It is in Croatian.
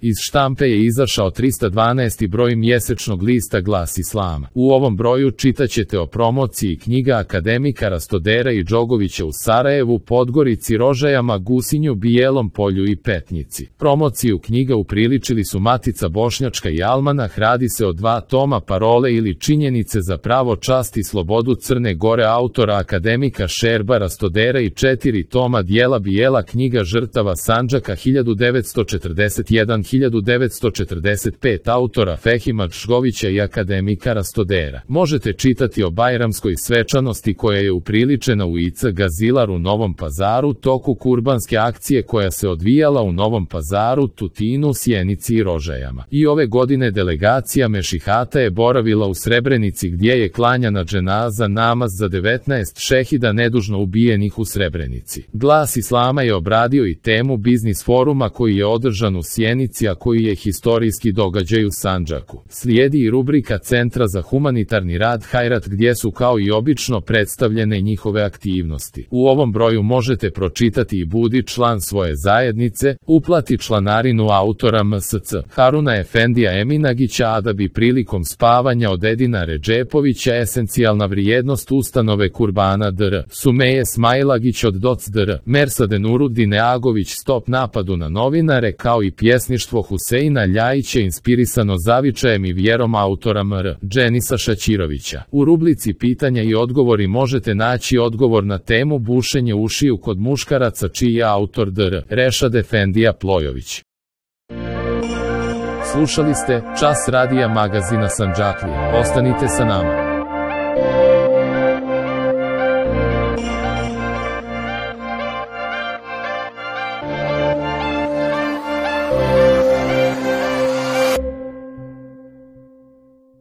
Iz štampe je izašao 312. broj mjesečnog lista Glas Islama. U ovom broju čitaćete o promociji knjiga akademika Rastodera i Džogovića u Sarajevu, Podgorici, Rožajama, Gusinju, Bijelom Polju i Petnici. Promociju knjiga upriličili su Matica Bošnjačka i Almanah. Radi se o 2 toma Parole ili Činjenice za pravo, čast i slobodu Crne Gore autora akademika Šerba Rastodera i 4 toma dijela Bijela knjiga žrtava Sandžaka 1941-1945 autora Fehima Džgovića i akademika Rastodera. Možete čitati o bajramskoj svečanosti koja je upriličena u IC Gazilar u Novom Pazaru, toku kurbanske akcije koja se odvijala u Novom Pazaru, Tutinu, Sjenici i Rožajama. I ove godine delegacija Mešihata je boravila u Srebrenici gdje je klanjana dženaza namaz za 19 šehida nedužno ubijenih u Srebrenici. Glas Islama je obradio i temu biznis foruma koji je održan u Sjenici, a koji je historijski događaj u Sandžaku. Slijedi i rubrika Centra za humanitarni rad Hajrat gdje su kao i obično predstavljene njihove aktivnosti. U ovom broju možete pročitati i budi član svoje zajednice, uplati članarinu autora MSC Haruna Efendija Eminagića, a da bi prilikom spavanja od Edina Redžepovića esencijalna vrijednost ustanove Kurbana dr. Sumeje Smailagić od Doc dr. Mersade Nurudine Agović stop napadu na novinare, kao i pjesništvo Huseina Ljajića inspirisano zavičajem i vjerom autora mr. Dženisa Šaćirovića. U rubrici Pitanja i odgovori možete naći odgovor na temu bušenje ušiju kod muškaraca, čiji je autor dr. Rešad Efendija Plojović. Slušali ste Čas radija magazina Sandžaklija. Ostanite sa nama.